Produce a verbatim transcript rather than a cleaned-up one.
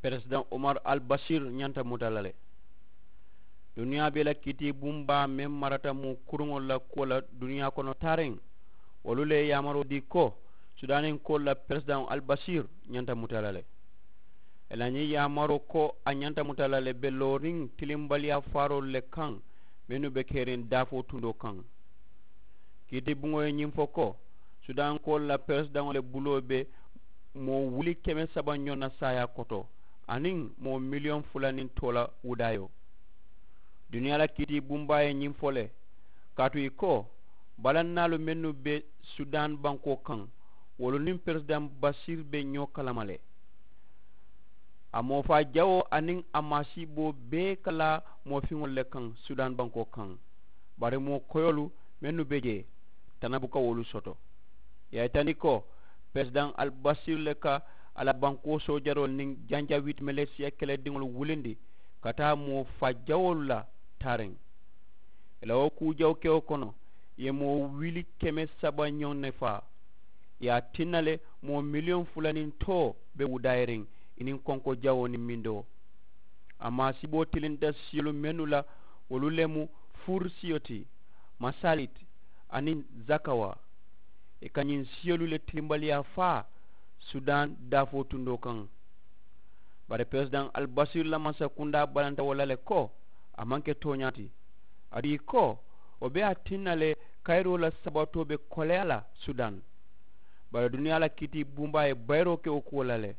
Peresidaŋ omar albasir ñanta muta la le. Duniyaa bee la kiitii bumbaa meŋ marata moo kuruŋolu la kuwo la duniyaa kono taariŋ, wolu le ye yaamaroo dii ko sudaaniŋ koolu la peresidaŋo albasir ñanta muta la le. Ì la ñiŋ yaamaroo ko a ñanta muta la le be looriŋ tilimbaliyaa faaroolu le kaŋ mennu be keriŋ daafoo tundoo kaŋ. Kiiti buŋo ye ñiŋ fo ko sudaankoolu la peresidaŋo le buloo be moo wuli keme saba ñoŋ na saayaa koto aniŋ moo miliyoŋ fula niŋ too la wudaayoo. Duniyaa la kiiti bumbaa ye ñiŋ fo le kaatu ì ko balannaalu mennu be sudaan bankoo kaŋ wolu niŋ peresidaŋ basiir be ñoo kalama le. A moo faa jawoo aniŋ a maasiiboo bee ka laa moo fiŋolu le kaŋ sudaan bankoo kaŋ. Bari moo koyoolu mennu be jee tana buka wolu soto. Ì ye a yitandi ko peresidaŋ albasir le ka a la bankoo soojaroolu niŋ janjawiti melesiya kelediŋolu wulindi ka taa moo faa jawoolu la taariŋ. Ì la wo kuu jawu kewo kono ì ye moo wuli keme saba ñoŋ ne faa. Ì ye a tinna le moo miliyoŋ fula niŋ too be wudaayiriŋ ì niŋ konko jawoo niŋ mindoo. A maasiboo tilinta siyolu mennu la wolu le mu fur siyo ti, masalit, aniŋ zakawa. Ì ka ñiŋ siyolu le tilimbaliyaa faa sudaan daafoo tundoo kaŋ. Bari peresidaŋ albasir la mansakundaa balanta wo la le ko a maŋ ke tooñaa ti. Aduŋ ì ko wo be a tinna le kayiroo la sabatoo be koleyaa la sudaan. Bari duniyaa la kiiti bumbaa ye bayiroo ke wo kuwo la le.